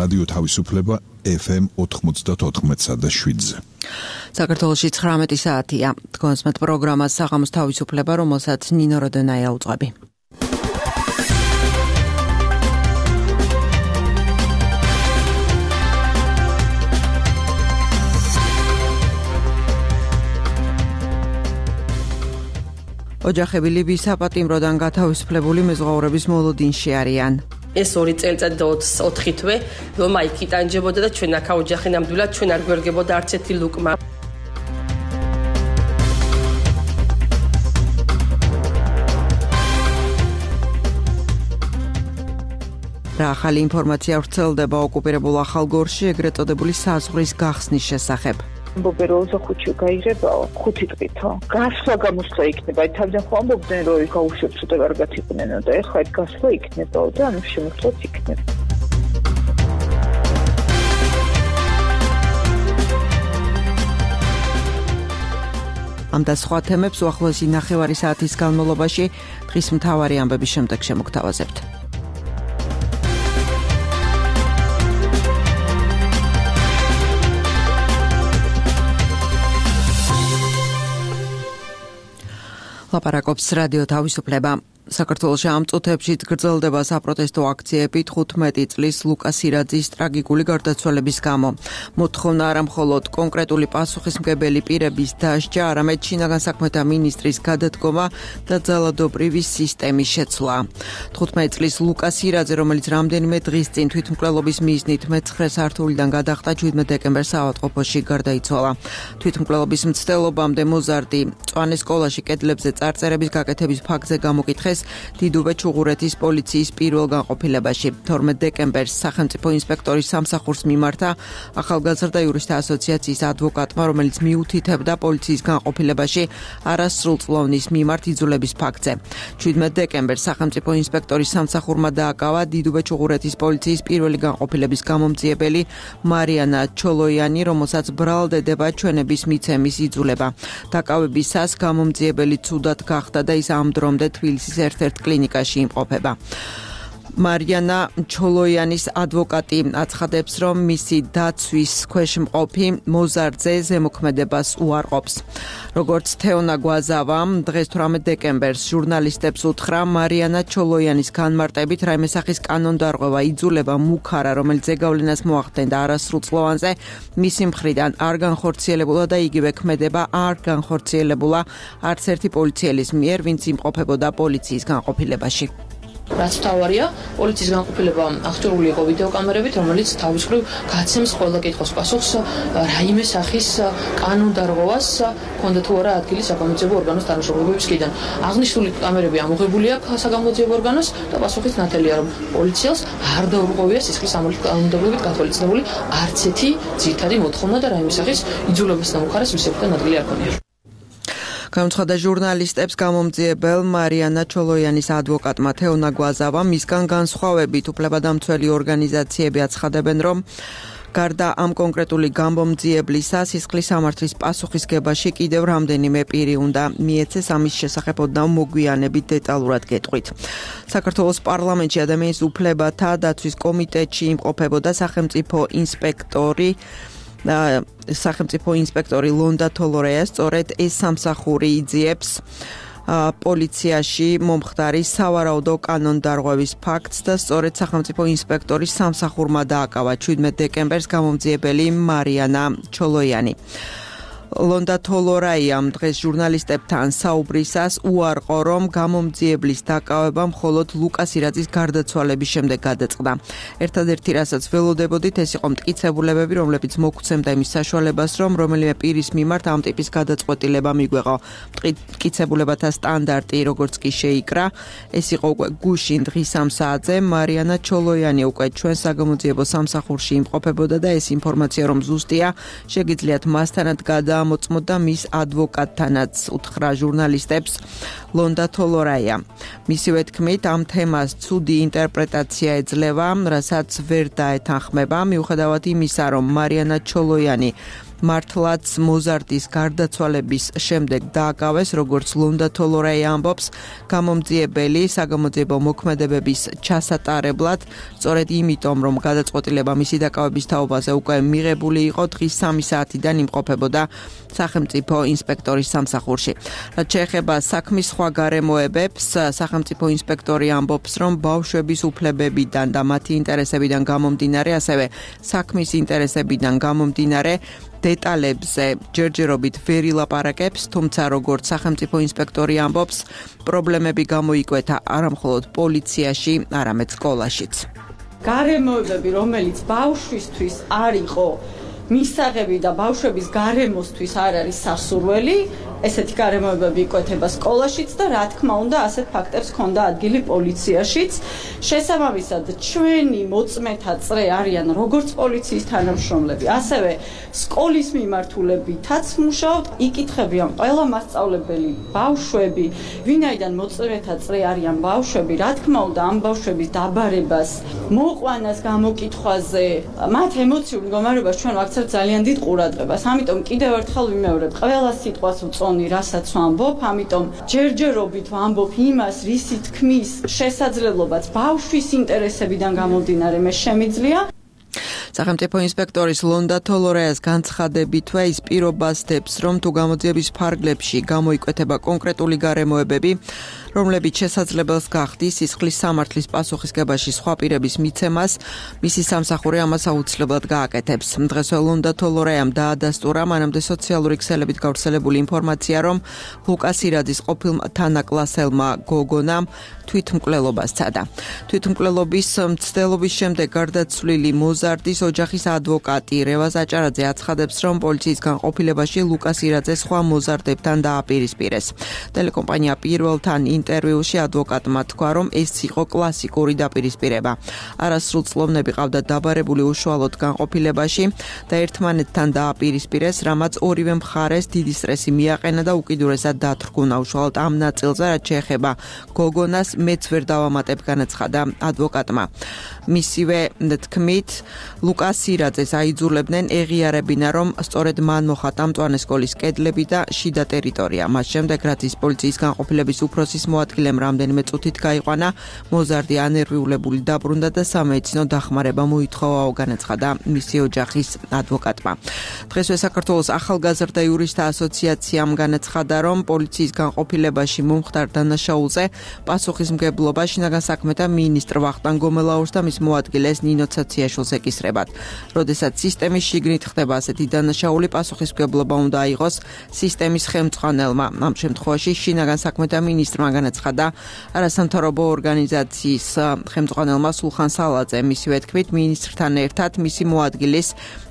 რადიო თავისუფლება FM 94.7-ზე. საქართველოში 19 საათია. თქვენსმეთ პროგრამას საღამოს თავისუფლება, რომელსაც ნინო როდენაია უძღვები. ოჯახები ლიბიის საპატიმროდან გათავისუფლებული მეზღვაურების მოლოდინში არიან. ეს 2 წელიწადი და 4 თვე, რომ აი იტანჯებოდა და ჩვენ აქ ოჯახი ნამდვილად ჩვენ არ გვერგებოდა არც ერთი ლუკმა. რა ახალი ინფორმაცია ვრცელდება ოკუპირებულ ახალგორში ეგრეთ წოდებული საზღვრის გახსნის შესახებ. Бобероза хочу გაიღებაო 5 დღითო. გასვლა გამოსვლა იქნება. თავიდან ხო ამბობდნენ რომ გაუშვებს ούτε კარგად იყვნენ და ეხლა ეს გასვლა იქნებაო და ანუ შემოხლოთ იქნება. ამ და სხვა თემებს უახლოესი ნახევარი საათის განმავლობაში დღის მთავარი ამბების შემდეგ შემოგთავაზებთ. ლაპარაკობს რადიო თავისუფლება. საქართველოში ამ წუთებში გრძელდება საპროტესტო აქციები 15 წლის ლუკას ირაძის ტრაგიკული გარდაცვალების გამო. მოთხოვნა არა მხოლოდ კონკრეტული პასუხისმგებელი პირების დასჯა, არამედ შინაგან საქმეთა მინისტრის გადადგომა და ძალადობრივი სისტემის შეცვლა. 15 წლის ლუკას ირაძე, რომელიც რამდენიმე დღის წინ თვითმკვლელობის მიზნით მე-9 სართულიდან გადახტა 17 დეკემბერს საავადმყოფოში გარდაიცვალა. თვითმკვლელობის მცდელობამდე მოზარდი მწვანე სკოლაში კედლებზე წარწერების გაკეთების ფაქტზე გამოკითხეს დიდუბე ჩუღურეთის პოლიციის პირველ განყოფილებაში. 12 დეკემბერს სახელმწიფო ინსპექტორის სამსახურს მიმართა ახალგაზრდა იურისტთა ასოციაციის ადვოკატმა, რომელიც მიუთითებდა პოლიციის განყოფილებაში არასრულწლოვნის მიმართ იძულების ფაქტზე. 17 დეკემბერს სახელმწიფო ინსპექტორის სამსახურმა დააკავა დიდუბე ჩუღურეთის პოლიციის პირველი განყოფილების გამომძიებელი მარიანა ჩოლოიანი, რომელსაც ბრალდება ჩვენების მიცემის იძულება. დაკავებისას გამომძიებელი ცუდად გახდა და ის ამ დრომდე თბილისის ერთ-ერთ კლინიკაში იმყოფება. მარიანა ჩოლოიანის ადვოკატი აცხადებს, რომ მისი დაცვის ქვეშ მყოფი მოზარდზე ზემოქმედებას უარყოფს. როგორც თეონა გვაზავამ დღეს 18 დეკემბერს ჟურნალისტებს უთხრა, მარიანა ჩოლოიანის განმარტებით რაიმე სახის კანონდარღვევა იძულება მუქარა, რომელიც ზეგავლენას მოახდენდა არასრულწლოვანზე, მისი მხრიდან არ განხორციელებულა და იგივე ქმედება არ განხორციელებულა არც ერთი პოლიციელის მიერ, ვინც იმყოფებოდა პოლიციის განყოფილებაში. რაც თავარია, პოლიციის განყოფილება აღჭურვილი იყო ვიდეოკამერებით, რომელიც თავის მხრივ გაცემს ყველა კითხვის პასუხს რაიმე სახის კანონდარღვევას ჰქონდა თუ არა ადგილი საგამოძიებო ორგანოს თანამშრომლებებისგან. აღნიშნული კამერები ამოღებული აქვს საგამოძიებო ორგანოს და პასუხიც ნათელია, რომ პოლიციელს არ დაურღვევია სისხლის სამართლის კანონმდებლობით გათვალისწინებული არც ერთი ძირითადი მოთხოვნა და რაიმე სახის იძულებას და მუხარას მისებთან ადგილი არ ქონია. გამოცხადდა ჟურნალისტებს გამომძიებელ მარიანა ჩოლოიანის ადვოკატმა თეონა გვაზავამ, მისგან განსხვავებით უფლებადამცველი ორგანიზაციები აცხადებენ, რომ გარდა ამ კონკრეტული გამომძიებლისა, სისხლის სამართლის პასუხისგებაში კიდევ რამდენიმე პირი უნდა მიეცეს, ამის შესახებ ოდნავ მოგვიანებით დეტალურად გეტყვით. საქართველოს პარლამენტში ადამიანის უფლებათა დაცვის კომიტეტში იმყოფებოდა სახელმწიფო ინსპექტორი ლონდა თოლორეა, სწორედ ეს სამსახური იძიებს პოლიციაში მომხდარი სავარაუდო კანონდარღვევის ფაქტს და სწორედ სახელმწიფო ინსპექტორის სამსახურმა დააკავა 17 დეკემბერს გამომძიებელი მარიანა ჩოლოიანი. ლონდა თოლორაიამ დღეს ჟურნალისტებთან საუბრისას უარყო, რომ გამომძიებლის დაკავება მხოლოდ ლუკას ირაძის გარდაცვალების შემდეგ გადაწყდა. ერთადერთი რასაც ველოდებოდით, ეს იყო მტკიცებულებები, რომლებიც მოგვცემდა იმის საშუალებას, რომ რომელიმე პირის მიმართ ამ ტიპის გადაწყვეტილება მიგვეღო. მტკიცებულებათა სტანდარტი, როგორც კი შეიკრა, ეს იყო უკვე გუშინ დღის 3 საათზე. მარიანა ჩოლოიანი უკვე ჩვენ საგამოძიებო სამსახურში იმყოფებოდა და ეს ინფორმაცია, რომ ზუსტია, შეგიძლიათ მასთანაც მოწმოდა მის ადვოკატთანაც, უთხრა ჟურნალისტებს ლონდა თოლორაია. მისივე თქმით, ამ თემას ცუდი ინტერპრეტაცია ეძლევა, რასაც ვერ დაეთანხმება, მიუხედავად იმისა, რომ მარიანა ჩოლოიანი მართლაც მოზარდის გარდაცვალების შემდეგ დააკავეს, როგორც ლონდა თოლორეი ამბობს, გამომძიებელი საგამოძიებო მოქმედებების ჩასატარებლად, სწორედ იმიტომ, რომ გადაწყვეტილება მისი დაკავების თაობაზე უკვე მიღებული იყო, დღის 3 საათიდან იმყოფებოდა სახელმწიფო ინსპექტორის სამსახურში. რაც შეეხება საქმის სხვა გარემოებებს, სახელმწიფო ინსპექტორი ამბობს, რომ ბავშვების უფლებებიდან და მათი ინტერესებიდან გამომდინარე, ასევე საქმის ინტერესებიდან გამომდინარე დეტალებზე ჯერჯერობით ვერ ილაპარაკებს, თუმცა როგორც სახელმწიფო ინსპექტორი ამბობს, პრობლემები გამოიკვეთა არამხოლოდ პოლიციაში, არამედ სკოლაშიც. გარემოებები, რომელიც ბავშვისთვის არ იყო მისაღები და ბავშვების გარემოსთვის არ არის სასურველი, ესეთი გარემოებები იკვეთება სკოლაშიც და რა თქმა უნდა ასეთ ფაქტებს ჰქონდა ადგილი პოლიციაშიც. შესაბამისად, ჩვენი მოწმეთა წრე არიან როგორც პოლიციის თანამშრომლები, ასევე სკოლის მიმართულებითაც მუშაობთ, იკითხებიან ყველა მასწავლებელი ბავშვები, ვინაიდან მოწმეთა წრე არიან ბავშვები, რა თქმა უნდა ამ ბავშვების დაბარებას, მოყვანას გამოკითხვაზე, მათ ემოციურ მდგომარეობას ჩვენ ვაქცევთ ძალიან დიდ ყურადღებას. ამიტომ კიდევ ერთხელ ვიმეორებ, ყველა სიტყვას ვწონი, რასაც ვამბობ, ამიტომ ჯერჯერობით ვამბობ იმას, რისი თქმის შესაძლებლობაც ბავშვის ინტერესებიდან გამომდინარე მე შემიძლია. სახელმწიფო ინსპექტორის ლონდა თოლორეას განცხადებითვე ის პირობას დებს, რომ თუ გამოძიების ფარგლებში გამოიკვეთება კონკრეტული გარემოებები, რომლებიც შესაძლებელს გახდის სისხლის სამართლის პასუხისგებაში სხვა პირების მიცემას, მისი სამსახური ამას აუცილებლად გააკეთებს. დღესვე ლონდა თოლორეამ დაადასტურა მანამდე სოციალური ქსელებით გავრცელებული ინფორმაცია, რომ ლუკას ირაძის ყოფილ თანაკლასელმა გოგონამ თვითმკვლელობას სცადა. თვითმკვლელობის მცდელობის შემდეგ გარდაცვლილი მოზარდის ოჯახის ადვოკატი რევაზ აჭარაძე აცხადებს, რომ პოლიციის განყოფილებაში ლუკას ირაძე სხვა მოზარდებთან დააპირისპირეს. ტელეკომპანია პირველთან ინტერვიუში ადვოკატმა თქვა, რომ ეს იყო კლასიკური დაპირისპირება. არასრულ წლოვნები ყავდა დაბარებული უშუალოდ განყოფილებაში და ერთმანეთთან დააპირისპირეს, რამაც ორივე მხარეს დიდი სტრესი მიაყენა და უკიდურესად დათრგუნა უშუალოდ ამ ნაწილზე, რაც შეეხება გოგონას, მეც ვერ დავამატებ, განაცხადა ადვოკატმა. მისივე თქმით, ლუკას ირაძეს აიძულებდნენ ეღიარებინა, რომ სწორედ მან მოხატა მწვანე სკოლის კედლები და შიდა ტერიტორია. მას შემდეგ, რაც ის პოლიციის განყოფილების უფროსის მოადგილემ რამდენიმე წუთით გაიყვანა, მოზარდი ანერვიულებული დაბრუნდა და სამედიცინო დახმარება მოითხოვაო, განაცხადა მისი ოჯახის ადვოკატმა. დღესვე საქართველოს ახალგაზრდა იურისტთა ასოციაციამ განაცხადა, რომ პოლიციის განყოფილებაში მომხდარ დანაშაულზე პასუხისმგებლობა შინაგან საქმეთა მინისტრ ვახტანგ გომელაურს და მის მოადგილეს ნინო ცაციაშვილს ეკისრებათ. როდესაც სისტემის შიგნით ხდება ასეთი დანაშაული, პასუხისმგებლობა უნდა აიღოს სისტემის ხელმძღვანელმა. ამ შემთხვევაში შინაგან საქმეთა მინისტრმა განაცხადა არასამთავრობო ორგანიზაციის ხელმძღვანელმა სულხან სალაძე. მისივე თქმით, მინისტრთან ერთად მისი მოადგილის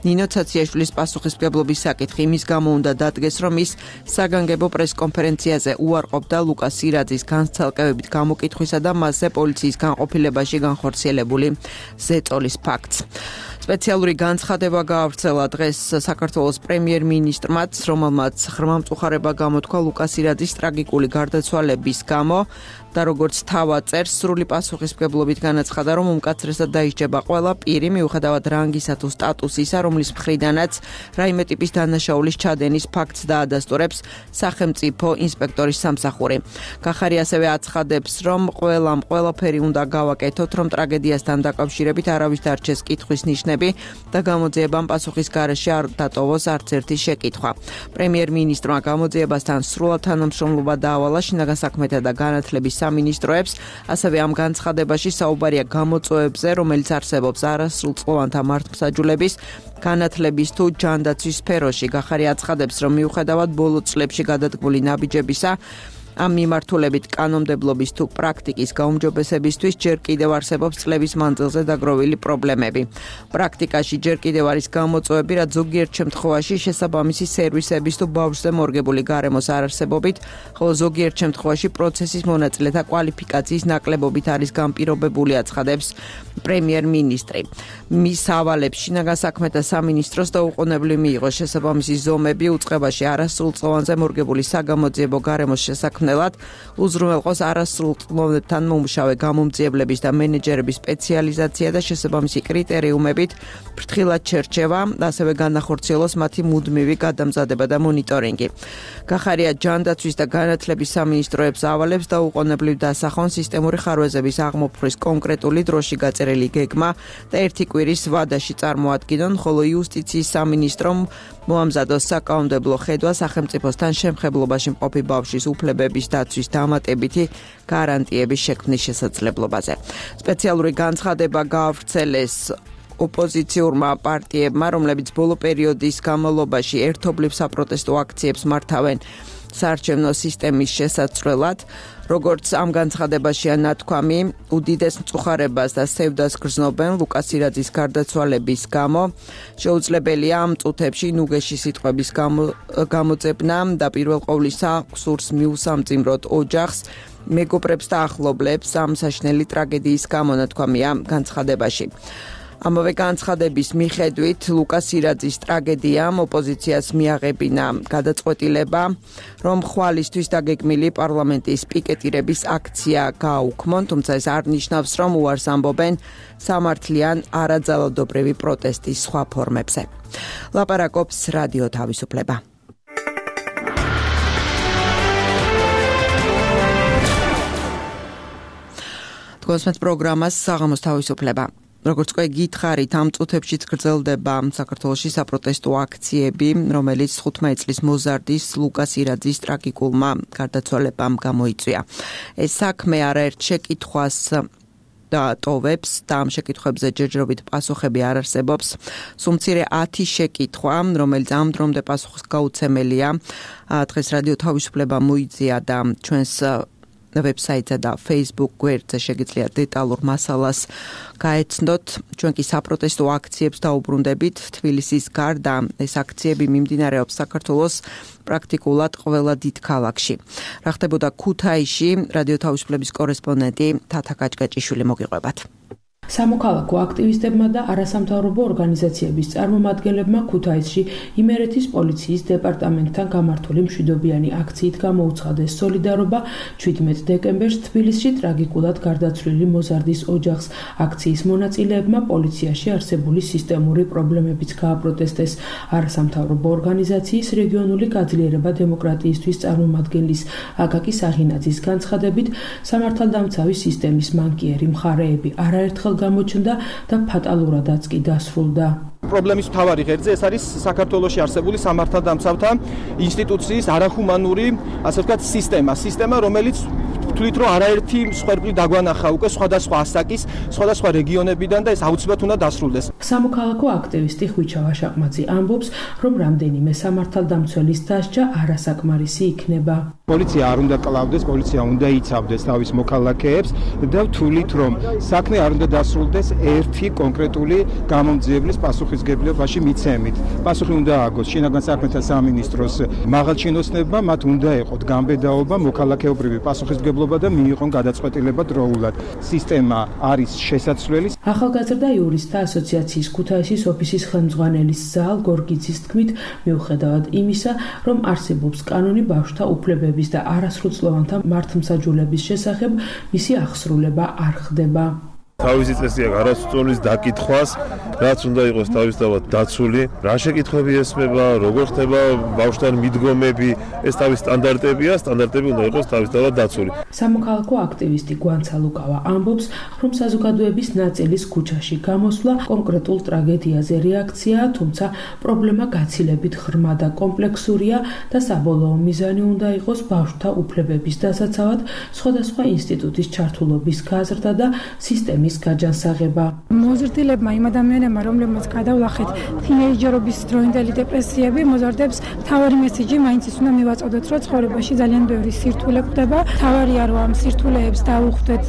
ნინო ცაციაშვილის პასუხისმგებლობის საკითხი იმის გამო უნდა დადგეს, რომ ის საგანგებო პრესკონფერენციაზე უარყოფდა ლუკას ირაძის განცალკევებით გამოკითხვისა და მასზე პოლიციის განყოფილებაში განხორციელებული ზეწოლის ფაქტს. სპეციალური განცხადება გაავრცელა დღეს საქართველოს პრემიერ-მინისტრმაც, რომელმაც ღრმამწუხარება გამოთქვა ლუკას ირაძის ტრაგიკული გარდაცვალების გამო და როგორც თავად წერს, სრული პასუხისმგებლობით განაცხადა, რომ უმკაცრესად დაისჯება ყველა პირი, მიუხედავად რანგისა თუ სტატუსისა, რომლის მხრიდანაც რაიმე ტიპის დანაშაულის ჩადენის ფაქტს დაადასტურებს სახელმწიფო ინსპექტორის სამსახური. კახარი ასევე აცხადებს, რომ ყველაფერი უნდა გავაკეთოთ, რომ ტრაგედიასთან დაკავშირებით არავის დარჩეს კითხვის ნიშნები და გამოძიებამ პასუხის გარეშე არ დატოვოს არც ერთი შეკითხვა. პრემიერ-მინისტრმა გამოძიებასთან სრულად თანამშრომლობა დაავალა შინაგან საქმეთა და განათლების სამინისტროებს, ასევე ამ განცხადებაში საუბარია გამოწვევებზე, რომელიც არსებობს არასრულწლოვანთა მართლმსაჯულების, განათლების თუ ჯანდაცვის სფეროში. კახარი აცხადებს, რომ მიუხედავად ბოლო წლებში გადადგმული ნაბიჯებისა, ამ მიმართულებით კანონმდებლობის თუ პრაქტიკის გაუმჯობესებისთვის ჯერ კიდევ არსებობს წლების მანძილზე დაგროვილი პრობლემები. პრაქტიკაში ჯერ კიდევ არის გამოწვევები, რაც ზოგიერთ შემთხვევაში შესაბამისი სერვისების თუ ბავშვზე მორგებული გარემოს არარსებობით, ხოლო ზოგიერთ შემთხვევაში პროცესის მონაწილეთა კვალიფიკაციის ნაკლებობით არის განპირობებული, აცხადებს პრემიერ-მინისტრი. მის ავალებს შინაგან საქმეთა სამინისტროს დაუყოვნებლივ მიიღო შესაბამისი ზომები უწყებაში არასრულწლოვანზე მორგებული საგამოძიებო გარემოს შესაქმნელად მწვრთნელად უზრუნველყოს არასრულწლოვანებთან მომუშავე გამომძიებლების და მენეჯერების სპეციალიზაცია და შესაბამისი კრიტერიუმებით ფრთხილად შერჩევა, ასევე განახორციელოს მათი მუდმივი გადამზადება და მონიტორინგი. გახარია ჯანდაცვის და განათლების სამინისტროებს ავალებს და უყონებლივ დასახონ სისტემური ხარვეზების აღმოფხვის კონკრეტული დროში გაწერილი გეგმა და ერთი კვირის ვადაში წარმოადგინონ, ხოლო იუსტიციის სამინისტრომ მოამზადოს საკანონმდებლო ხედვა სახელმწიფოსთან შემხებლობაში მყოფი ბავშვის უფლებების დაცვის დამატებითი გარანტიების შექმნის შესაძლებლობაზე. სპეციალური განცხადება გაავრცელეს ოპოზიციურმა პარტიებმა, რომლებიც ბოლო პერიოდის განმავლობაში ერთობლივ საპროტესტო აქციებს მართავენ საარჩევნო სისტემის შესაცვლელად. როგორც ამ განცხადებაშია ნათქვამი, უდიდეს მწუხარებას და სევდას გრძნობენ ლუკას ირაძის გარდაცვალების გამო. შეუძლებელია ამ წუთებში ნუგეში სიტყვების გამოძებნა და პირველ ყოვლისა სურს მიუსამძიმროთ ოჯახს, მეგობრებს და ახლობლებს ამ საშინელი ტრაგედიის გამო, ნათქვამია განცხადებაში. ამავე განცხადების მიხედვით ლუკას ირაძის ტრაგედიამ ოპოზიციას მიაღებინა გადაწყვეტილება, რომ ხვალისთვის დაგეგმილი პარლამენტის პიკეტირების აქცია გააუქმონ, თუმცა ეს არ ნიშნავს, რომ უარს ამბობენ სამართლიან არაძალადობრივი პროტესტის სხვა ფორმებზე. ლაპარაკობს რადიო თავისუფლება. თქვენს პროგრამას საღამოს თავისუფლება. როგორც უკვე გითხარით, ამ წუთებშიც გრძელდება საქართველოში საპროტესტო აქციები, რომელიც 15 წლის მოზარდის ლუკას ირაძის ტრაგიკულმა გარდაცვალებამ გამოიწვია. ეს საქმე არაერთ შეკითხვას და ტოვებს და ამ შეკითხვებზე ჯერჯერობით პასუხები არ არსებობს. სულ მცირე 10 შეკითხვა, რომელიც ამ დრომდე პასუხისგაუცემელია, დღეს რადიო თავისუფლება მოიძია და ჩვენს ვებსაიტსა და Facebook გვერდზე შეგიძლიათ დეტალურ მასალას გაეცნოთ. ჩვენ კი საპროტესტო აქციებს დაუბრუნდებით. თბილისის გარდა ეს აქციები მიმდინარეობს საქართველოს პრაქტიკულად ყველა დიდ ქალაქში. რა ხდებოდა ქუთაისში, რადიო თავისუფლების კორესპონდენტი თათა კაჭკაჭიშვილი მოგიყვებათ. სამოქალაქო აქტივისტებმა და არასამთავრობო ორგანიზაციების წარმომადგენლებმა ქუთაისში იმერეთის პოლიციის დეპარტამენტთან გამართული მშვიდობიანი აქციით გამოუცხადეს სოლიდარობა 17 დეკემბერს თბილისში ტრაგიკულად გარდაცვლილი მოზარდის ოჯახს. აქციის მონაწილეებმა პოლიციაში არსებული სისტემური პრობლემებიც გააპროტესტეს. არასამთავრობო ორგანიზაციის რეგიონული გაძლიერება დემოკრატიისთვის წარმომადგენლის აკაკი საღინაძის განცხადებით, სამართალდამცავი სისტემის მანკიერი მხარეები არაერთხელ გამოჩნდა და ფატალურადაც კი დასრულდა. პრობლემის მთავარი ღერძი ეს არის საქართველოში არსებული სამართალდამცავთა ინსტიტუციის არახუმანური, ასე ვთქვათ, სისტემა, რომელიც თვლით რომ არაერთი მსხვერპლი დაგვანახა უკვე სხვადასხვა ასაკის, სხვადასხვა რეგიონებიდან და ეს აუცილებლად უნდა დასრულდეს. სამოქალაქო აქტივისტი ხვიჩა ვაშაყმაძე ამბობს, რომ რამდენიმე სამართალდამცველის დასჯა არასაკმარისი იქნება. პოლიცია არ უნდა კლავდეს, პოლიცია უნდა იცავდეს თავის მოქალაქეებს და ვთვლით რომ საქმე არ უნდა დასრულდეს ერთი კონკრეტული გამომძიებლის პასუხისგებლობაში მიცემით. პასუხი უნდა ააგოს შინაგან საქმეთა სამინისტროს მაღალჩინოსნებმა, მათ უნდა ეყოთ გამბედაობა, მოქალაქეობრივი პასუხისგებლობა და მიიღონ გადაწყვეტილება დროულად. სისტემა არის შესაძლებელი. ახალგაზრდა იურისტთა ასოციაციის ქუთაისის ოფისის ხელმძღვანელის ზაალ გორგიძის თქმით, მიუხედავად იმისა, რომ არსებობს კანონი ბავშვთა უფლებების და არასრულწლოვანთა მართლმსაჯულების შესახებ, მისი აღსრულება არ ხდება. თავისი წესია არასრულწლოვანის დაკითხვას, რაც უნდა იყოს თავისთავად დაცული, რა შეკითხვები ესმება, როგორ ხდება ბავშვთან მიდგომები, ეს თავის სტანდარტებია, სტანდარტები უნდა იყოს თავისთავად დაცული. სამოქალაქო აქტივისტი გვანცა ლუკავა ამბობს, რომ საზოგადოების ნაწილის ქუჩაში გამოსვლა კონკრეტულ ტრაგედიაზე რეაქციაა, თუმცა პრობლემა გაცილებით ღრმა და კომპლექსურია და საბოლოო მიზანი უნდა იყოს ბავშვთა უფლებების დასაცავად, სხვადასხვა ინსტიტუტის ჩართულობის გაზრდა და სისტემის გაჯანსაღება. მოზრდილებმა იმ ადამიანებმა, რომლებმაც გადავლახეთ თინეიჯერობის დროინდელი დეპრესიები, მოზარდებს თავარი მესიჯი მაინც ის უნდა მივაწოდოთ, რომ ცხოვრებაში ძალიან ბევრი სირთულე გვხვდება. თავარია რომ ამ სირთულეებს დავუხვდეთ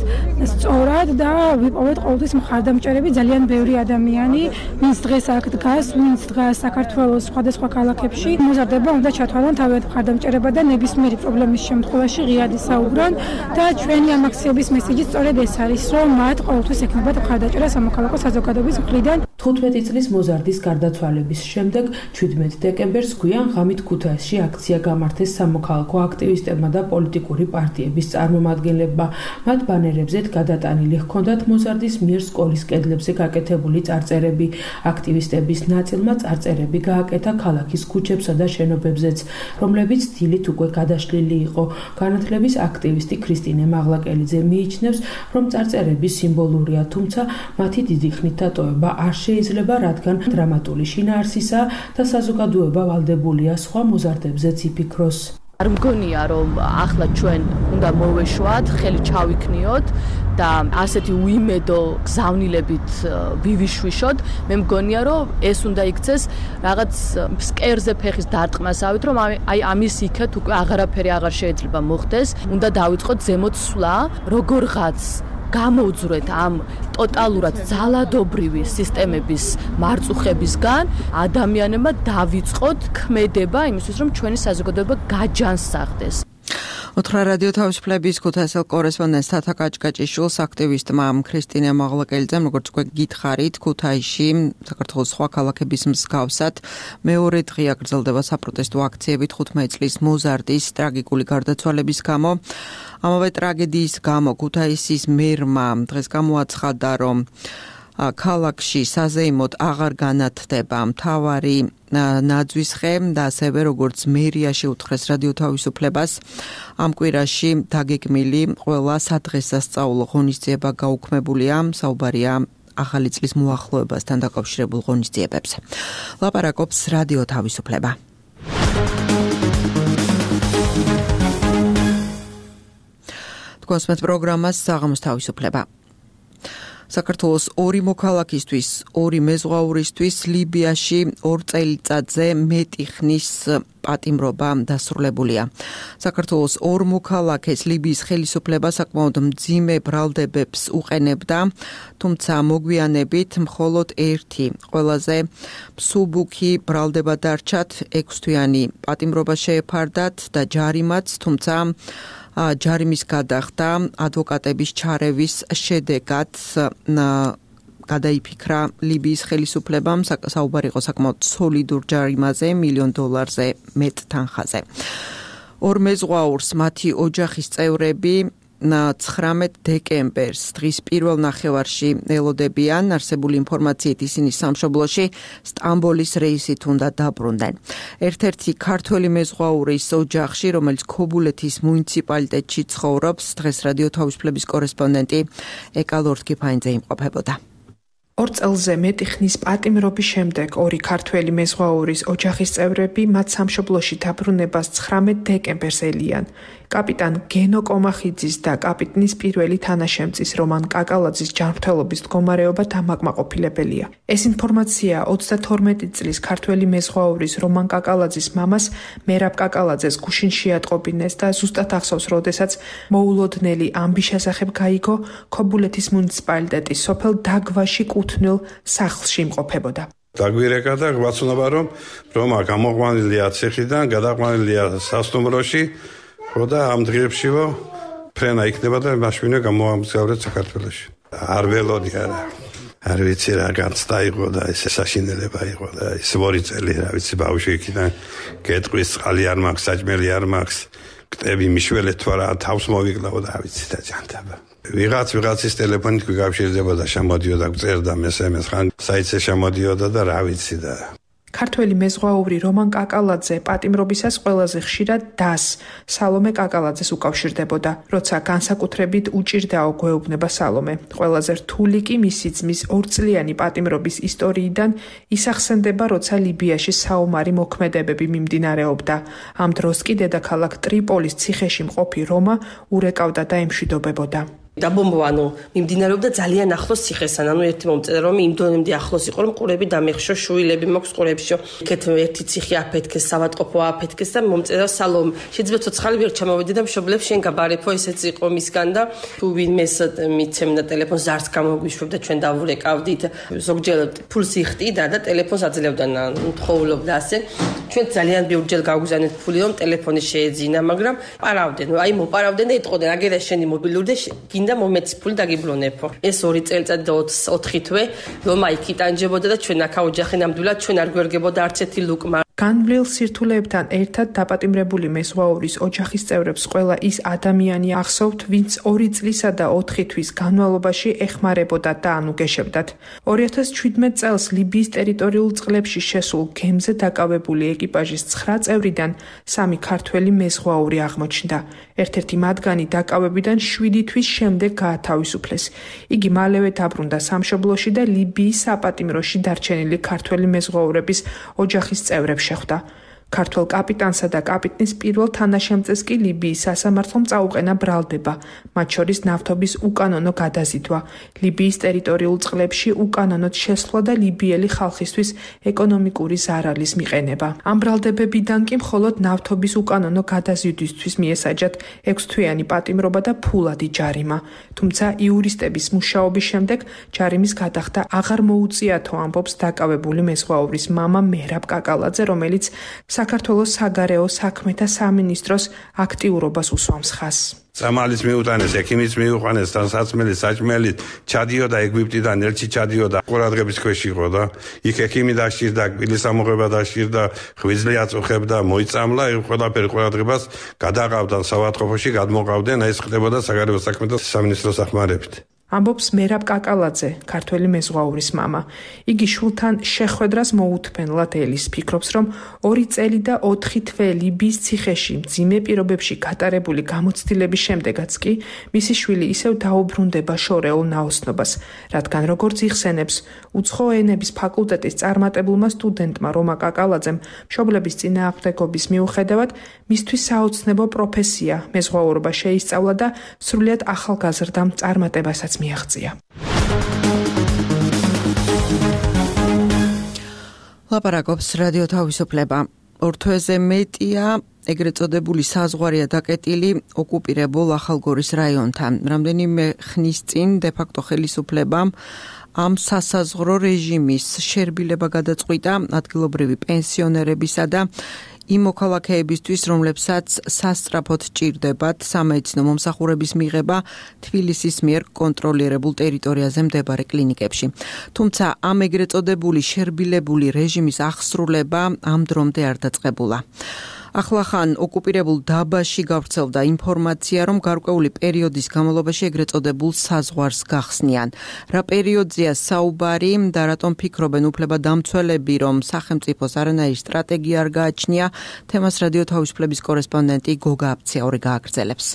სწორად და ვიპოვეთ ყოველთვის მხარდამჭერები ძალიან ბევრი ადამიანი, ვინც დღეს აქ დგას, ვინც დგას საქართველოს სხვადასხვა ქალაქებში. მოზარდებმა უნდა ჩათვალონ თავიანთ მხარდამჭერება და ნებისმიერი პრობლემის შემთხვევაში ღიად ისაუბრონ და ჩვენი ამ აქციების მესიჯი სწორედ ეს არის, რომ მათ ყოველთვის ექნებათ მხარდაჭერა სამოქალაქო საზოგადოების მხრიდან. 15 წლის მოზარდის გარდაცვალების შემდეგ 17 დეკემბერს გვიან ღამით ქუთაისში აქცია გამართეს სამოქალაქო აქტივისტებმა და პოლიტიკური პარტიების წარმომადგენლებმა. მათ ბანერებზე გადატანილი ჰქონდათ მოზარდის მიერ სკოლის კედლებზე გაკეთებული წარწერები. აქტივისტების ნაწილმა წარწერები გააკეთა ქალაქის ქუჩებსა და შენობებზეც, რომლებიც დილით უკვე გადაშლილი იყო. განათლების აქტივისტი ქრისტინე მაღლაკელიძე მიიჩნევს, რომ წარწერები სიმბოლურია, თუმცა მათი დიდი ხნით დატოვება არ შეიძლება, რადგან დრამატული შინაარსისა და საზოგადოება ვალდებულია სხვა მოზარდებზეც იფიქროს. არ მგონია, რომ ახლა ჩვენ უნდა მოვეშვათ, ხელი ჩავიქნიოთ და ასეთი უიმედო გზავნილებით ვივიშვიშოთ. მე მგონია, რომ ეს უნდა იქცეს რაღაც სკერზე ფეხის დარტყმასავით, რომ აი ამის იქეთ უკვე აღარაფერი აღარ შეიძლება მოხდეს. უნდა დავიწყოთ ზემოთ სვლა, როგორღაც გამოუძვრეთ ამ ტოტალურად ძალადობრივი სისტემების მარწუხებისგან, ადამიანებმა დავიწყოთ ქმედება იმისთვის, რომ ჩვენი საზოგადოება გაჯანსაღდეს. ოთხრა რადიო თავისუფლების ქუთაისელ კორესპონდენტს თათა კაჭკაჭიშვილს აქტივისტმა ქრისტინე მაღლაკელიძემ, როგორც უკვე გითხარით, ქუთაისში საქართველოს სხვა ქალაქების მსგავსად მეორე დღეა გრძელდება საპროტესტო აქციები 15 წლის მოზარდის ტრაგიკული გარდაცვალების გამო. ამავე ტრაგედიის გამო ქუთაისის მერმა დღეს გამოაცხადა, რომ ქალაქში საზეიმოდ აღარ განათდება მთავარი ნაძვის ხე და ასევე როგორც მერია შეუთხრეს რადიო თავისუფლებას ამ კვირაში დაგეგმილი ყველა სადღესასწაულო ღონისძიება გაუქმებულია. საუბარია ახალი წლის მოახლოებასთან დაკავშირებულ ღონისძიებებზე. ლაპარაკობს რადიო თავისუფლება. თქვენს პროგრამას საღამოს თავისუფლება. საქართველოს ორი მოქალაქისთვის, ორი მეზღვაურისთვის ლიბიაში 2 წელიწადზე მეტი ხნის პატიმრობა დასრულებულია. საქართველოს ორ მოქალაქეს ლიბიის ხელისუფლება საკმაოდ მძიმე ბრალდებებს უყენებდა, თუმცა მოგვიანებით მხოლოდ ერთი ყველაზე მსუბუქი ბრალდება დარჩათ, 6 თვიანი პატიმრობა შეეფარდათ და ჯარიმაც, თუმცა ჯარიმის გადახდა ადვოკატების ჩარევის შედეგად გადაიფიქრა ლიბიის ხელისუფლებამ. საუბარი იყო საკმაოდ სოლიდურ ჯარიმაზე, $1 მილიონ მეტ თანხაზე. ორ მეზღვაურს მათი ოჯახის წევრები 19 დეკემბერს დღის პირველ ნახევარში ელოდებიან. არსებული ინფორმაციით ისინი სამშობლოში სტამბოლის რეისით უნდა დაბრუნდნენ. ერთ-ერთი ქართველი მეზღვაურის ოჯახში, რომელიც ქობულეთის მუნიციპალიტეტში ცხოვრობს, დღეს რადიო თავისუფლების კორესპონდენტი ეკა ლორთქიფაინძე იმყოფებოდა. 2 წელზე მეტი ხნის პატიმრობის შემდეგ ორი ქართველი მეზღვაურის ოჯახის წევრები მათ სამშობლოში დაბრუნებას 19 დეკემბერს ელიან. კაპიტან გენო კომახიძის და კაპიტნის პირველი თანაშემწის რომან კაკალაძის ჯანმრთელობის მდგომარეობა დამაკმაყოფილებელია. ეს ინფორმაცია 32 წლის ქართველი მეზღვაურის რომან კაკალაძის მამას მერაბ კაკალაძეს გუშინში ატყობინეს და ზუსტად ახსოვს, როდესაც მოულოდნელი ამბის შესახებ გაიგო ქობულეთის მუნიციპალიტეტის სოფელ დაგვაში კუთვნილ სახლში იმყოფებოდა. დაგვირეკა და გვაცნობა, რომ რომა გამოყვანილია ციხიდან, გადაყვანილია სასტუმროში, და ამ დღეებშივო ფრენა იქნება და მაშინვე გამოამგზავრეთ საქართველოში. არ ველოდი არა. არ ვიცი რა განცდა იყო და ეს საშინელება იყო და ეს 2 წელი რა ვიცი ბავშვი იქიდან გეტყვის წყალი არ მაქვს, საჭმელი არ მაქვს, კტები მიშველეთ თუ არა თავს მოვიკლავ და რა ვიცი და ჯანტაბა. ვიღაცის ტელეფონით გვიკავშირდებოდა, შემოდიოდა, წერდა მესემეს, ხან საიტზე შემოდიოდა და რა ვიცი და ქართველი მეზღვაური რომან კაკალაძე პატიმრობისას ყველაზე ხშირად დას სალომე კაკალაძეს უკავშირდებოდა, როცა განსაკუთრებით უჭირდაო გვეუბნება სალომე. ყველაზე რთული კი მისი ძმის 2 წლიანი პატიმრობის ისტორიიდან ისახსენდება, როცა ლიბიაში საომარი მოქმედებები მიმდინარეობდა. ამ დროს კი დედაქალაქ ტრიპოლის ციხეში მყოფი რომა ურეკავდა და ემშვიდობებოდა. დაბომბვანო მიმდინარეობდა ძალიან ახლოს ციხესთან, ანუ ერთი მომწერა რომ იმ დონემდე ახლოს იყო რომ ყურები დამეხშო, შვილები მაქვს ყურებშო. იქეთ ერთი ციხე აფეთქეს, სავატყოფო აფეთქეს და მომწერა სალომ. შეიძლება ცოცხალი ვერ ჩამოვედი და მშობლებს შენ გაბარებო, ესეც იყო მისგან და თუ ვინმეს მიცემდა ტელეფონს ზარს გამოგვიშვებდა, ჩვენ დავურეკავდით. ზოგჯერ ფულს იხტიდა და ტელეფონს აძლევდა, თხოვლობდა ასე. ჩვენ ძალიან ბევრჯერ გავგზავნეთ ფული რომ ტელეფონი შეეძინა, მაგრამ პარავდნენ, აი მოპარავდნენ და ეტყოდნენ, აგერა შენი მობილური და გინდა მომეცი ფული დაგიბრუნებო. ეს 2 წელიწადი და 4 თვე რომ იქ იტანჯებოდა და ჩვენ აქ ოჯახი ნამდვილად ჩვენ არ გვერგებოდა არც ერთი ლუკმა. განვლილ სირთულეებთან ერთად დაპატიმრებული მეზღვაურის ოჯახის წევრებს ყველა ის ადამიანი ახსოვთ, ვინც 2 წლისა და 4 თვის განმავლობაში ეხმარებოდა და ანუგეშებდათ. 2017 წელს ლიბიის ტერიტორიულ წყლებში შესულ გემზე დაკავებული ეკიპაჟის 9 წევრიდან 3 ქართველი მეზღვაური აღმოჩნდა. ერთ-ერთი მათგანი დაკავებიდან 7 თვის შემდეგ გაათავისუფლეს. იგი მალევე დაბრუნდა სამშობლოში და ლიბიის საპატიმროში დარჩენილი ქართველი მეზღვაურების ოჯახის წევრებს შეხვდა. ქართველ კაპიტანსა და კაპიტნის პირველ თანაშემწეს კი ლიბიის სასამართლომ წაუყენა ბრალდება, მათ შორის ნავთობის უკანონო გადაზიდვა, ლიბიის ტერიტორიულ წყლებში უკანონოდ შესვლა და ლიბიელი ხალხისთვის ეკონომიკური ზარალის მიყენება. ამ ბრალდებებიდან კი მხოლოდ ნავთობის უკანონო გადაზიდვისთვის მიესაჯათ 6-თვიანი პატიმრობა და ფულადი ჯარიმა. თუმცა იურისტების მუშაობის შემდეგ ჯარიმის გადახდა აღარ მოუწიათო, ამბობს დაკავებული მეზღვაურის მამა მერაბ კაკალაძე, რომელიც საქართველოს საგარეო საქმეთა სამინისტროს აქტიურობას უსვამს ხაზს. სამალის მიუტანეს, ექიმის მიუყვანეს, საცმელი, საჭმელი, ჩადიოდა ეგვიპტიდან, ელჩი ჩადიოდა, ყურადღების ქვეშ იყო და იქ ექიმი დაშირდა, კბილის ამოღება დაშირდა, ღვიძლი აწუხებდა, მოიწამლა, ყველაფერი ყურადღებას გადაყავდა საავადმყოფოში, გადმოყავდნენ, ეს ხდებოდა საგარეო საქმეთა სამინისტროს ახმარებით. ამბობს მერაბ კაკალაძე, ქართველი მეზღვაურის მამა. იგი შულთან შეხვედრას მოუთმენლად ელის, ფიქრობს, რომ 2 წელი და 4 თვე ლიბიის ციხეში მძიმე პირობებში გატარებული გამოცდილების შემდეგაც კი მისი შვილი ისევ დაუბრუნდება შორეულ ნაოსნობას, რადგან როგორც იხსენებს, უცხო ენების ფაკულტეტის წარმატებულმა სტუდენტმა რომა კაკალაძემ მშობლების წინააღმდეგობის მიუხედავად მისთვის საოცნებო პროფესია მეზღვაურობა შეისწავლა და სრულიად ახალგაზრდა წარმატებასაც მიაღწია. ლაპარაკობს რადიო თავისუფლება. 2 თვეზე მეტია ეგრეთ წოდებული საზღვარია დაკეტილი ოკუპირებულ ახალგორის რაიონთან. რამდენიმე ხნის წინ დე-ფაქტო ხელისუფლებამ ამ სასაზღვრო რეჟიმის შერბილება გადაწყვიტა ადგილობრივი პენსიონერებისა და იმ მოქალაქეებისთვის, რომლებსაც სასწრაფოდ ჭირდებათ სამედიცინო მომსახურების მიღება თბილისის მიერ კონტროლირებულ ტერიტორიაზე მდებარე კლინიკებში. თუმცა ამ ეგრეთ წოდებული შერბილებული რეჟიმის აღსრულება ამ დრომდე არ დაწყებულა. ახლახან ოკუპირებულ დაბაში გავრცელდა ინფორმაცია, რომ გარკვეული პერიოდის განმავლობაში ეგრეთ წოდებულ საზღვარს გახსნიან. რა პერიოდზეა საუბარი და რატომ ფიქრობენ უფლებადამცველები, რომ სახელმწიფოს არანაირი სტრატეგია არ გააჩნია, თემას რადიო თავისუფლების კორესპონდენტი გოგა აფციაური გააგრძელებს.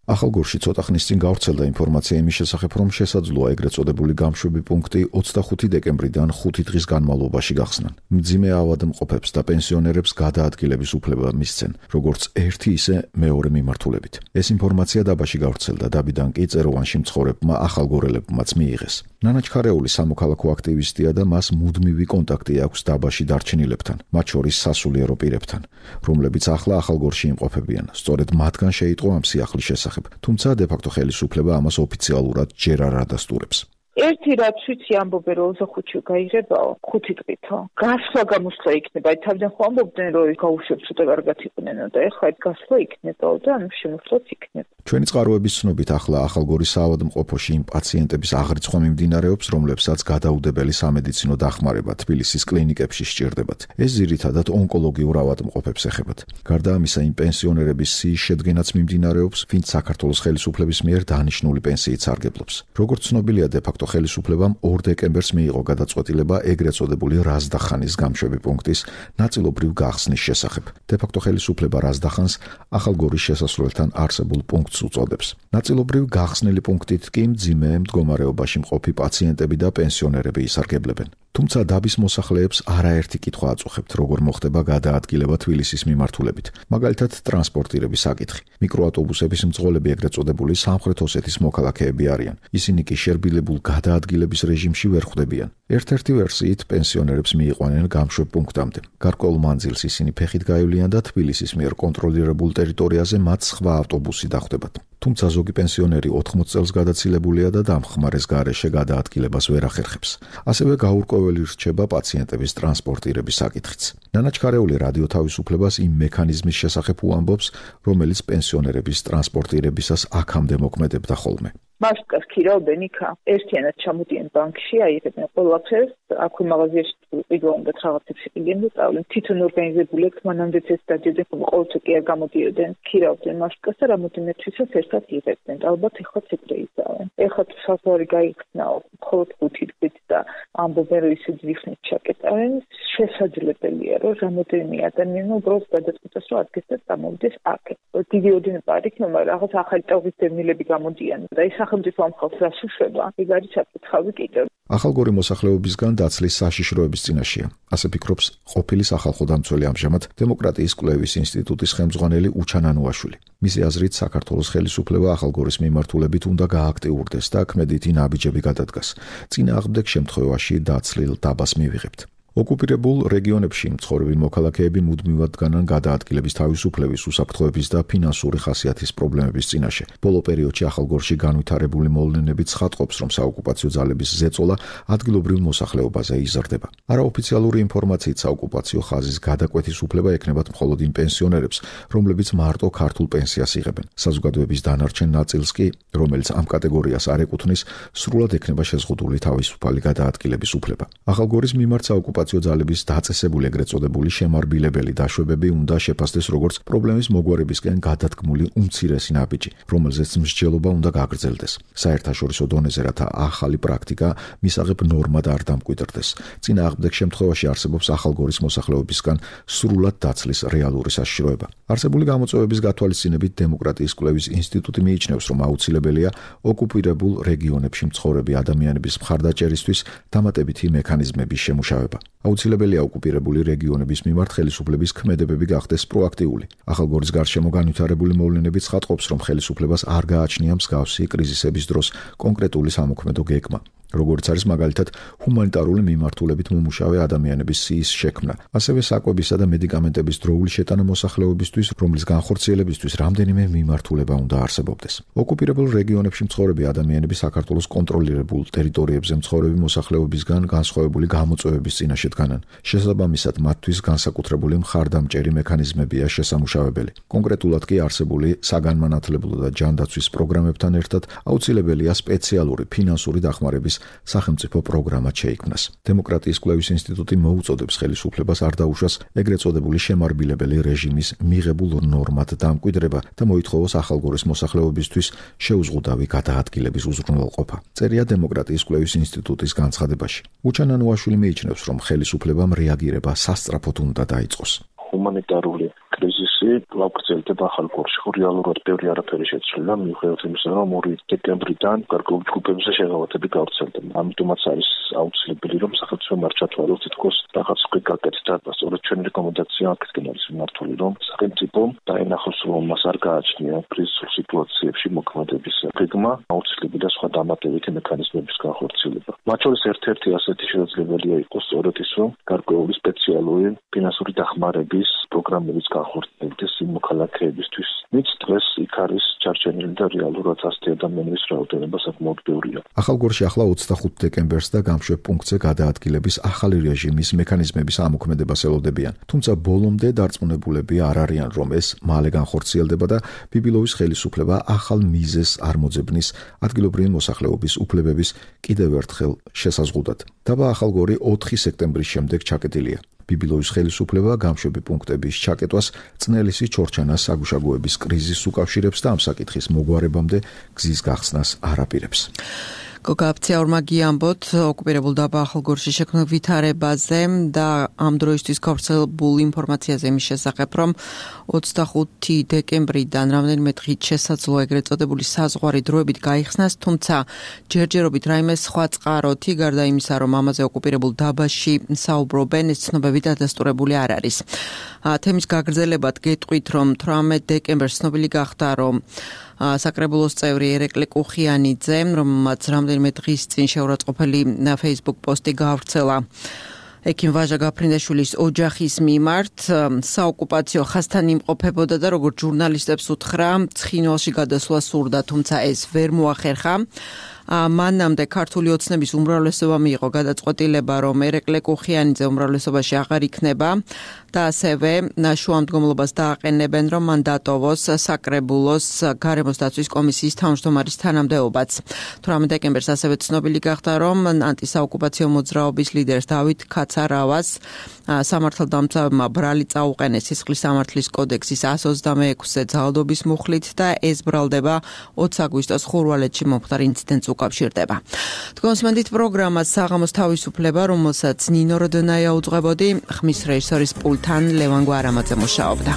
ახალგორში ცოტა ხნის წინ გავრცელდა ინფორმაცია იმის შესახებ, რომ შესაძლოა ეგრეთ წოდებული გამშვები პუნქტი 25 დეკემბრიდან 5 დღის განმავლობაში გახსნან. მძიმე ავადმყოფებს და პენსიონერებს გადაადგილების უფლება მისცენ, როგორც ერთი ისე მეორე მიმართულებით. ეს ინფორმაცია დაბაში გავრცელდა, დაბიდან კი წეროვანში მცხოვრებმა ახალგორელებმაც მიიღეს. ნანა ჩხარეული სამოქალაქო აქტივისტია და მას მუდმივი კონტაქტი აქვს დაბაში დარჩენილებთან, მათ შორის სასულიერო პირებთან, რომლებიც ახლა ახალგორში იმყოფებიან. სწორედ მათგან შეიტყო ამ სიახლის შესახებ. თუმცა დე-ფაქტო ხელისუფლება ამას ოფიციალურად ჯერ არ ადასტურებს. ერთი რაც ვიცი ამბობენ რომ ოთახუთში გაიღებაო 5 დღითო. გასვლა გამოსვლა იქნება. თავიდან ხო ამბობდნენ რომ გაუშვებს ცოტა კარგად იყვნენო და ეხლა ეს გასვლა იქნებაო და ანუ შემოსვლაც იქნება. ჩვენი წყაროების ცნობით ახლა ახალგორის საავადმყოფოში იმ პაციენტების აღრიცხვა მიმდინარეობს, რომლებსაც გადაუდებელი სამედიცინო დახმარება თბილისის კლინიკებში სჭირდებათ. ეს ძირითადად ონკოლოგიურ ავადმყოფებს ეხებათ. გარდა ამისა, იმ პენსიონერების სიის შედგენაც მიმდინარეობს, ვინც საქართველოს ხელისუფლების მიერ დანიშნული პენსიით სარგებლობს. როგორც ცნობილია, დე-ფაქტო ხელისუფლებამ 2 დეკემბერს მიიღო გადაწყვეტილება ეგრეთ წოდებული რაზდახანის გამშვები პუნქტის ნაწილობრივ გახსნის შესახებ. დე-ფაქტო ხელისუფლება რაზდახანს ახალგორის შესასვლელთან არსებულ პუნქტს უწოდებს. ნაწილობრივ გახსნილი პუნქტით კი მძიმე მდგომარეობაში მყოფი პაციენტები და პენსიონერები ისარგებლებენ. თუმცა დაბის მოსახლეებს არაერთი კითხვა აწუხებთ, როგორ მოხდება გადაადგილება თბილისის მიმართულებით. მაგალითად, ტრანსპორტირების საკითხი. მიკროავტობუსების მძღოლები ეგრეთ წოდებული სამხრეთ ოსეთის მოქალაქეები არიან. ისინი კი შერბილებულ გადაადგილების რეჟიმში ვერ ხვდებიან. ერთ-ერთი ვერსიით პენსიონერებს მიიყვანენ გამშვებ პუნქტამდე. გარკვეულ მანძილს ისინი ფეხით გაივლიან და თბილისის მიერ კონტროლირებულ ტერიტორიაზე მათ სხვა ავტობუსი დახვდებათ. თუმცა ზოგი პენსიონერი 80 წელს გადაცილებულია და დამხმარეს გარეშე გადაადგილებას ვერ ახერხებს. ასევე გაურკვეველი რჩება პაციენტების ტრანსპორტირების საკითხიც. ნანა ჩხარეული რადიო თავისუფლებას იმ მექანიზმის შესახებ უამბობს, რომელიც პენსიონერების ტრანსპორტირებისას აქამდე მოქმედებდა ხოლმე. მასკას ქირავდნენ იქა. ერთიანად ჩამოდიან ბანკში, აიღებენ ყველაფერს, აქვე მაღაზიაში პირველ უნდა რაღაცებს იყიდნენ და წავლენ. თვითონ ორგანიზებული აქვს, მანამდეც ეს დადიოდნენ, ყოველთვის კი არ გამოდიოდნენ, ქირავდნენ მასკას და რამოდენიმე თვისაც ერთად იღებდნენ. ალბათ ეხლა ეგრე იზავენ. ეხლა საზღვარი გაიხსნაო, მხოლოდ 5 დღით და ამბობენ რომ ისე ძიხნით ჩაკეტავენ. შესაძლებელია რომ რამოდენიმე ადამიანი უბრალოდ გადაწყვიტეს რომ ადგეს და წამოვიდეს აქ. დიდი ოდენობა არ იქნება, მაგრამ რაღაც ახალი ტალღის დევნილები გამოდიან და ის სახელმწიფო ამ ხალხს რას უშვება? ეგ არის საკითხავი კიდევ. ახალგორი მოსახლეობისგან დაცლის საშიშროების წინაშეა. ასე ფიქრობს ყოფილი სახალხო დამცველი ამჟამად დემოკრატიის კვლევის ინსტიტუტის ხელმძღვანელი უჩან ანუაშვილი. მისი აზრით საქართველოს ხელისუფლება ახალგორის მიმართულებით უნდა გააქტიურდეს და ქმედითი ნაბიჯები გადადგას. წინააღმდეგ შემთხვევაში დაცლილ დაბას მივიღებთ. ოკუპირებულ რეგიონებში მცხოვრები მოქალაქეები მუდმივად დგანან გადაადგილების თავისუფლების, უსაფრთხოების და ფინანსური ხასიათის პრობლემების წინაშე. ბოლო პერიოდში ახალგორში განვითარებული მოვლენები ცხადყოფს, რომ საოკუპაციო ძალების ზეწოლა ადგილობრივ მოსახლეობაზე იზრდება. არაოფიციალური ინფორმაციით საოკუპაციო ხაზის გადაკვეთის უფლება ექნებათ მხოლოდ იმ პენსიონერებს, რომლებიც მარტო ქართულ პენსიას იღებენ. საზოგადოების დანარჩენ ნაწილს კი, რომელიც ამ კატეგორიას არ ეკუთვნის, სრულად ექნება შეზღუდული თავისუფალი გადაადგილების უფლება. ახალგორის მიმართ საოკუპაციო ძალების დაწესებული ეგრეთ წოდებული შემარბილებელი დაშვებები უნდა შეფასდეს როგორც პრობლემის მოგვარებისკენ გადადგმული უმცირესი ნაბიჯი, რომელზეც მსჯელობა უნდა გაგრძელდეს. საერთაშორისო დონეზე რათა ახალი პრაქტიკა მისაღებ ნორმად არ დამკვიდრდეს. წინააღმდეგ შემთხვევაში არსებობს ახალგორის მოსახლეობისგან სრულად დაცლის რეალური საშიშროება. არსებული გამოწვევების გათვალისწინებით დემოკრატიის კვლევის ინსტიტუტი მიიჩნევს, რომ აუცილებელია ოკუპირებულ რეგიონებში მცხოვრები ადამიანების მხარდაჭერისთვის დამატებითი მექანიზმების შემუშავება. აუცილებელია ოკუპირებული რეგიონების მიმართ ხელისუფლების ქმედებები გახდეს პროაქტიული. ახალგორის გარშემო განვითარებული მოვლენები ცხადყოფს, რომ ხელისუფლებას არ გააჩნია მსგავსი კრიზისების დროს კონკრეტული სამოქმედო გეგმა. როგორც არის მაგალითად ჰუმანიტარული მიმართულებით მომუშავე ადამიანების სიის შექმნა, ასევე საკვებისა და მედიკამენტების დროული შეტანა მოსახლეობისთვის, რომლის განხორციელებისთვის რამდენიმე მიმართულება უნდა არსებობდეს. ოკუპირებულ რეგიონებში მცხოვრები ადამიანები საქართველოს კონტროლირებულ ტერიტორიებზე მცხოვრები მოსახლეობისგან განსხვავებული გამოწვევების წინაშე დგანან. შესაბამისად, მათთვის განსაკუთრებული მხარდამჭერი მექანიზმებია შესამუშავებელი. კონკრეტულად კი არსებული საგანმანათლებლო და ჯანდაცვის პროგრამებთან ერთად აუცილებელია სპეციალური ფინანსური დახმარების სახელმწიფო პროგრამა შეიქმნას. დემოკრატიის კვლევის ინსტიტუტი მოუწოდებს ხელისუფლებას არ დაუშვას ეგრეთ წოდებული შემარბილებელი რეჟიმის მიღებულ ნორმად დამკვიდრება და მოითხოვოს ახალგორის მოსახლეობისთვის შეუზღუდავი გადაადგილების უზრუნველყოფა. წერია დემოკრატიის კვლევის ინსტიტუტის განცხადებაში. უჩან ანუაშვილი მიიჩნევს, რომ ხელისუფლებამ რეაგირება სასწრაფოდ უნდა დაიწყოს. ჰუმანიტარული კრიზისი გაგრძელდება ახალგორში. რეალურად ბევრი არაფერი შეცვლილა, მიუხედავად იმისა, რომ 2 დეკემბრიდან გარკვეულ ჯგუფებზე შეღავათები გავრცელდა. ამიტომაც არის აუცილებელი, რომ სახელმწიფომ არ ჩათვალოს თითქოს რაღაც ხვი გაკეთდა. სწორედ ჩვენი რეკომენდაცია აქეთკენ არის მიმართული, რომ სახელმწიფომ დაენახოს, რომ მას არ გააჩნია კრიზისულ სიტუაციებში მოქმედების გეგმა, აუცილებელია სხვა დამატებითი მექანიზმების განხორციელება. მათ შორის ერთ-ერთი ასეთი შესაძლებელია იყოს სწორედ ის, რომ გარკვეული სპეციალური ფინანსური დახმარების პროგრამების განხორციელდეს იმ მოქალაქეებისთვის, ვინც დღეს იქ არის ჩარჩენილი და რეალურად ასეთი ადამიანების რაოდენობა საკმაოდ ბევრია. ახალგორში ახლა 25 დეკემბერს და გამშვებ პუნქტზე გადაადგილების ახალი რეჟიმის მექანიზმების ამოქმედებას ელოდებიან. თუმცა ბოლომდე დარწმუნებულები არ არიან, რომ ეს მალე განხორციელდება და ბიბილოვის ხელისუფლება ახალ მიზეზს არ მოძებნის ადგილობრივი მოსახლეობის უფლებების კიდევ ერთხელ შესაზღუდად. დაბა ახალგორი 4 სექტემბრის შემდეგ ჩაკეტილია. ბიბილოვის ხელისუფლება გამშვები პუნქტების ჩაკეტვას წნელისი ჩორჩანას საგუშაგოების კრიზისს უკავშირებს და ამ საკითხის მოგვარებამდე გზის გახსნას არ აპირებს. გოგაფცია ორმაგი ამბოთ ოკუპირებულ დაბა ახალგორში შექმნილ ვითარებაზე და ამ დროისთვის გავრცელებულ ინფორმაციაზე იმის შესახებ, რომ 25 დეკემბრიდან რამდენიმე დღით შესაძლოა ეგრეთ წოდებული საზღვარი დროებით გაიხსნას, თუმცა ჯერჯერობით რაიმე სხვა წყაროთი გარდა იმისა, რომ ამაზე ოკუპირებულ დაბაში საუბრობენ, ეს ცნობები დადასტურებული არ არის. თემის გაგრძელებად გეტყვით, რომ 18 დეკემბერს ცნობილი გახდა, რომ საკრებულოს წევრი ერეკლე კუხიანიძე, რომელმაც რამდენიმე დღის წინ შეურაცხყოფელი Facebook პოსტი გაავრცელა ექიმ ვაჟა გაფრინდაშვილის ოჯახის მიმართ, საოკუპაციო ხაზთან იმყოფებოდა და როგორც ჟურნალისტებს უთხრა, ცხინვალში გადასვლა სურდა, თუმცა ეს ვერ მოახერხა. მანამდე ქართული ოცნების უმრავლესობა მიიღო გადაწყვეტილება, რომ ერეკლე კუხიანიძე უმრავლესობაში აღარ იქნება და ასევე შუამდგომლობას დააყენებენ, რომ მან დატოვოს საკრებულოს გარემოს დაცვის კომისიის თავმჯდომარის თანამდებობაც. 18 დეკემბერს ასევე ცნობილი გახდა, რომ ანტისაოკუპაციო მოძრაობის ლიდერს დავით ქაცარავას სამართალდამცავებმა ბრალი წაუყენეს სისხლის სამართლის კოდექსის 126-ე ძალადობის მუხლით და ეს ბრალდება 20 აგვისტოს ხურვალეთში მომხდარ ინციდენტს უკავშირდება. თქვენსმენდით პროგრამას საღამოს თავისუფლება, რომელსაც ნინო როდონაია უძღვებოდი, ხმის რეჟისორის პულტთან ლევან გვარამაძე მუშაობდა.